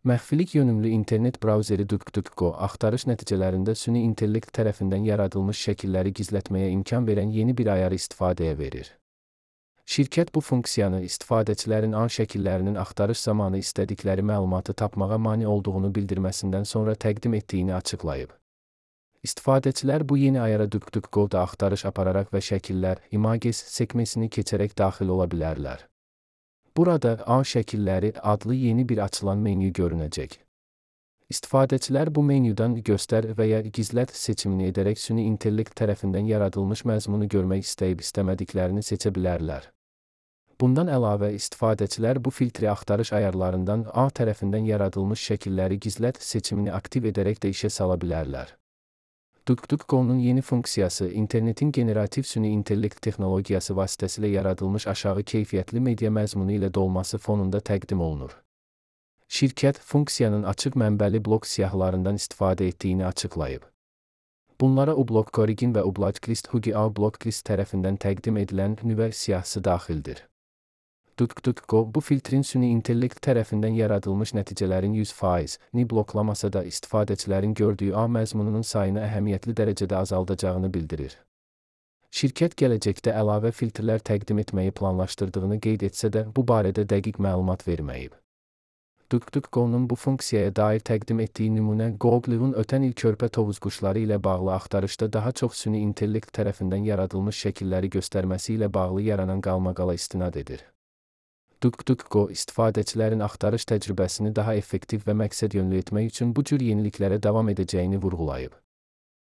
Məxfilik yönümlü internet brauzeri DuckDuckGo axtarış nəticələrində süni intellekt tərəfindən yaradılmış şəkilləri gizlətməyə imkan verən yeni bir ayarı istifadəyə verir. Şirkət bu funksiyanı istifadəçilərin A şəkillərinin axtarış zamanı istədikləri məlumatı tapmağa mane olduğunu bildirməsindən sonra təqdim etdiyini açıqlayıb. İstifadəçilər bu yeni ayara DuckDuckGo-da axtarış apararaq və şəkillər, images sekmesini keçərək daxil ola bilərlər. Burada A şəkilləri adlı yeni bir açılan menyu görünəcək. İstifadəçilər bu menyudan göstər və ya gizlət seçimini edərək süni intellekt tərəfindən yaradılmış məzmunu görmək istəyib istəmədiklərini seçə bilərlər. Bundan əlavə istifadəçilər bu filtri axtarış ayarlarından A tərəfindən yaradılmış şəkilləri gizlət seçimini aktiv edərək də işə sala bilərlər. DuckDuckGo'nun yeni funksiyası internetin generativ süni intellekt texnologiyası vasitəsilə yaradılmış aşağı keyfiyyətli media məzmunu ilə dolması fonunda təqdim olunur. Şirkət funksiyanın açıq mənbəli blok siyahılarından istifadə etdiyini açıqlayıb. Bunlara uBlock Origin və uBlocklist Hugi A Blocklist tərəfindən təqdim edilən nüvə siyahısı daxildir. DuckDuckGo bu filtrin süni intellekt tərəfindən yaradılmış nəticələrin 100%ni bloklamasa da istifadəçilərin gördüyü A məzmununun sayını əhəmiyyətli dərəcədə azaldacağını bildirir. Şirkət gələcəkdə əlavə filtrlər təqdim etməyi planlaşdırdığını qeyd etsə də bu barədə dəqiq məlumat verməyib. DuckDuckGo'nun bu funksiyaya dair təqdim etdiyi nümunə Google'un ötən il körpə tovuz quşları ilə bağlı axtarışda daha çox süni intellekt tərəfindən yaradılmış şəkilləri göstərməsi ilə bağlı yaranan qalmaqala istinad edir. DuckDuckGo istifadəçilərin axtarış təcrübəsini daha effektiv və məqsədyönlü etmək üçün bu cür yeniliklərə davam edəcəyini vurğulayıb.